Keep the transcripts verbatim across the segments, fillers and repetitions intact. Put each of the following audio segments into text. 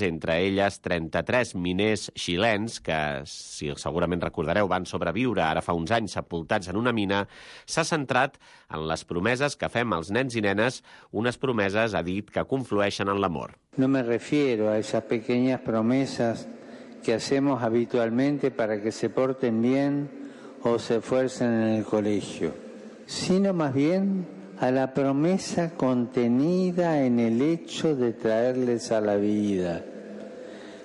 entre elles trenta-tres miners xilens que, si segurament recordareu, van sobreviure ara fa uns anys sepultats en una mina, s'ha centrat en les promeses que fem als nens i nenes, unes promeses, ha dit, que conflueixen en l'amor. No me refiero a esas pequeñas promesas que hacemos habitualmente para que se porten bien o se esfuercen en el colegio, sino más bien a la promesa contenida en el hecho de traerles a la vida.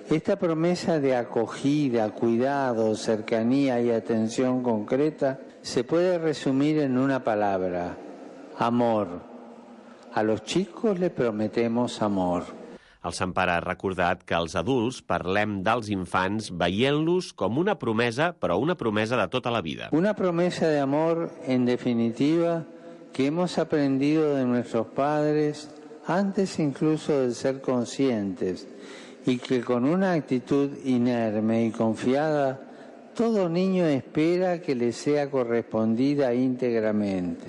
Esta promesa de acogida, cuidado, cercanía y atención concreta se puede resumir en una palabra: amor. A los chicos les prometemos amor. El Sant Pare ha recordat que els adults parlem dels infants veient-los com una promesa, però una promesa de tota la vida. Una promesa de amor, en definitiva, que hemos aprendido de nuestros padres antes incluso de ser conscientes y que con una actitud inerme y confiada todo niño espera que le sea correspondida íntegramente.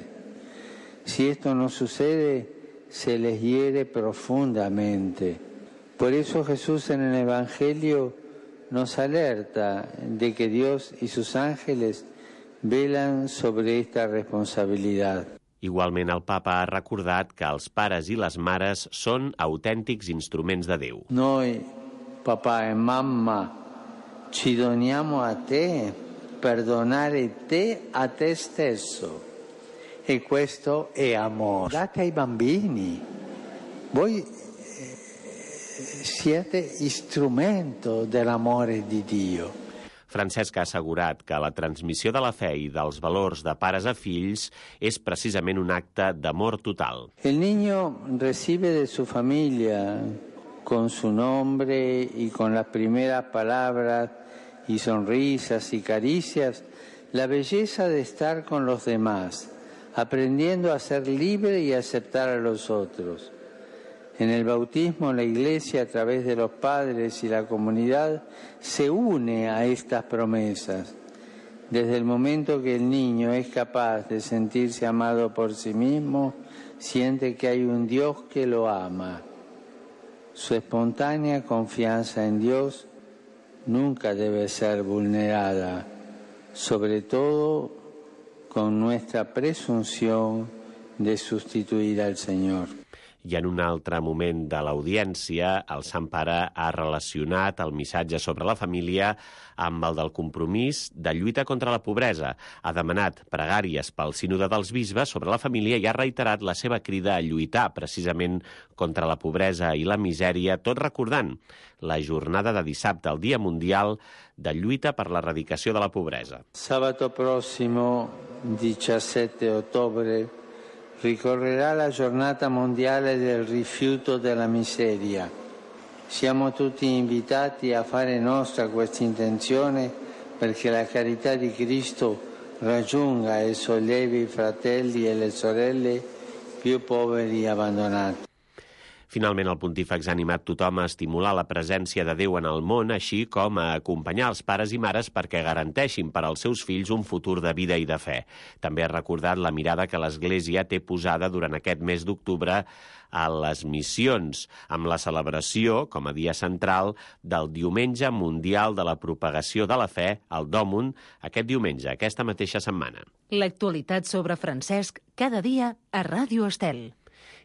Si esto no sucede, se les hiere profundamente. Por eso Jesús en el Evangelio nos alerta de que Dios y sus ángeles velan sobre esta responsabilidad. Igualment, el papa ha recordat que els pares i les mares són autèntics instruments de Déu. Noi, papà e mamma, ci doniamo a te per donare te a te stesso. E questo è amore. Date ai bambini. Voi siete strumento dell'amore di Dio. Francesc ha assegurat que la transmissió de la fe i dels valors de pares a fills és precisament un acte d'amor total. El niño recibe de su familia, con su nombre y con las primeras palabras y sonrisas y caricias, la belleza de estar con los demás, aprendiendo a ser libre y a aceptar a los otros. En el bautismo, la Iglesia, a través de los padres y la comunidad, se une a estas promesas. Desde el momento que el niño es capaz de sentirse amado por sí mismo, siente que hay un Dios que lo ama. Su espontánea confianza en Dios nunca debe ser vulnerada, sobre todo con nuestra presunción de sustituir al Señor. I en un altre moment de l'audiència, el Sant Pare ha relacionat el missatge sobre la família amb el del compromís de lluita contra la pobresa. Ha demanat pregàries pel sínode dels bisbes sobre la família i ha reiterat la seva crida a lluitar precisament contra la pobresa i la misèria, tot recordant la jornada de dissabte, el Dia Mundial de Lluita per l'Erradicació de la Pobresa. Sabato prossimo, diciassette ottobre, ricorrerà la giornata mondiale del rifiuto della miseria. Siamo tutti invitati a fare nostra questa intenzione perché la carità di Cristo raggiunga e sollevi i fratelli e le sorelle più poveri e abbandonati. Finalment, el pontífex ha animat tothom a estimular la presència de Déu en el món, així com a acompanyar els pares i mares perquè garanteixin per als seus fills un futur de vida i de fe. També ha recordat la mirada que l'Església té posada durant aquest mes d'octubre a les missions, amb la celebració, com a dia central, del Diumenge Mundial de la Propagació de la Fe, el Dòmun, aquest diumenge, aquesta mateixa setmana. L'actualitat sobre Francesc cada dia a Ràdio Estel.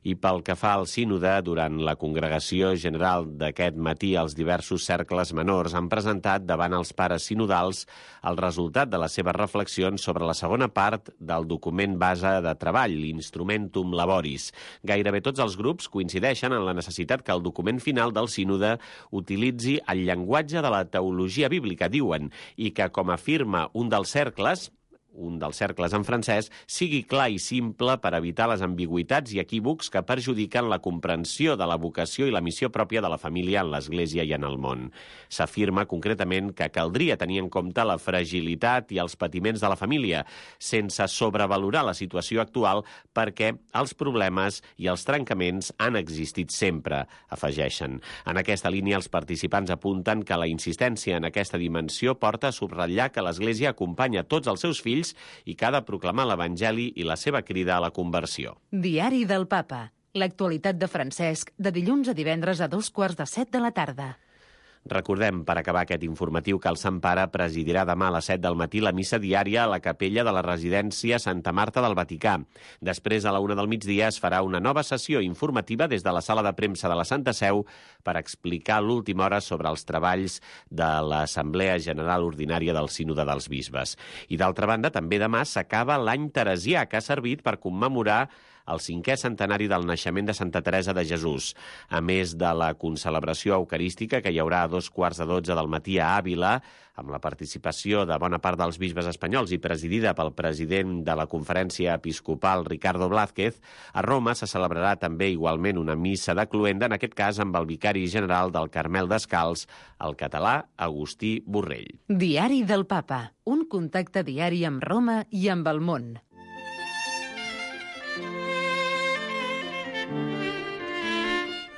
I pel que fa al sínode, durant la congregació general d'aquest matí, els diversos cercles menors han presentat davant els pares sinodals el resultat de les seves reflexions sobre la segona part del document base de treball, l'Instrumentum Laboris. Gairebé tots els grups coincideixen en la necessitat que el document final del sínode utilitzi el llenguatge de la teologia bíblica, diuen, i que, com afirma un dels cercles, un dels cercles en francès, sigui clar i simple per evitar les ambigüitats i equívocs que perjudiquen la comprensió de la vocació i la missió pròpia de la família en l'Església i en el món. S'afirma concretament que caldria tenir en compte la fragilitat i els patiments de la família, sense sobrevalorar la situació actual perquè els problemes i els trencaments han existit sempre, afegeixen. En aquesta línia, els participants apunten que la insistència en aquesta dimensió porta a subratllar que l'Església acompanya tots els seus fills i que ha de proclamar l'Evangeli i la seva crida a la conversió. Diari del Papa. L'actualitat de Francesc, de dilluns a divendres a dos quarts de set de la tarda. Recordem, per acabar aquest informatiu, que el Sant Pare presidirà demà a les set del matí la missa diària a la capella de la residència Santa Marta del Vaticà. Després, a la una del migdia, es farà una nova sessió informativa des de la sala de premsa de la Santa Seu per explicar l'última hora sobre els treballs de l'Assemblea General Ordinària del Sínode dels Bisbes. I, d'altra banda, també demà s'acaba l'any teresià, que ha servit per commemorar el cinquè centenari del naixement de Santa Teresa de Jesús. A més de la concelebració eucarística que hi haurà a dos quarts de dotze del matí a Àvila, amb la participació de bona part dels bisbes espanyols i presidida pel president de la Conferència Episcopal, Ricardo Blázquez, a Roma se celebrarà també igualment una missa de cloenda, en aquest cas amb el vicari general del Carmel Descalç, el català Agustí Borrell. Diari del Papa, un contacte diari amb Roma i amb el món.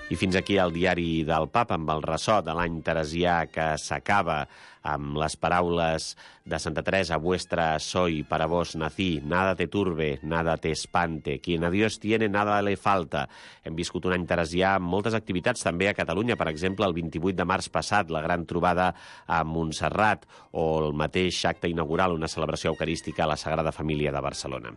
I fins aquí el diari del Papa amb el ressò de l'any teresià que s'acaba amb les paraules de Santa Teresa: vuestra soy, para vos nací, nada te turbe, nada te espante, quien a Dios tiene, nada le falta. Hem viscut un any teresià amb moltes activitats també a Catalunya, per exemple, el vint-i-vuit de març passat, la gran trobada a Montserrat, o el mateix acte inaugural, una celebració eucarística a la Sagrada Família de Barcelona.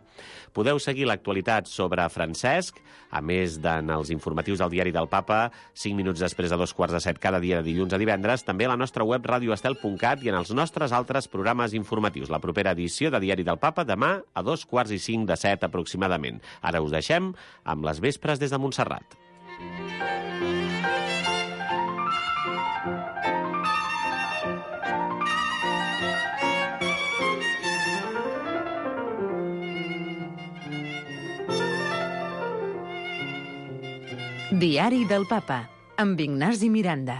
Podeu seguir l'actualitat sobre Francesc, a més d'en els informatius del Diari del Papa, cinc minuts després de dos quarts de set cada dia de dilluns a divendres, també a la nostra web radioestel punt cat i en els nostres altres programes informatius. La propera edició de Diari del Papa demà a dos quarts i cinc de set aproximadament. Ara us deixem amb les vespres des de Montserrat. Diari del Papa, amb Ignasi Miranda.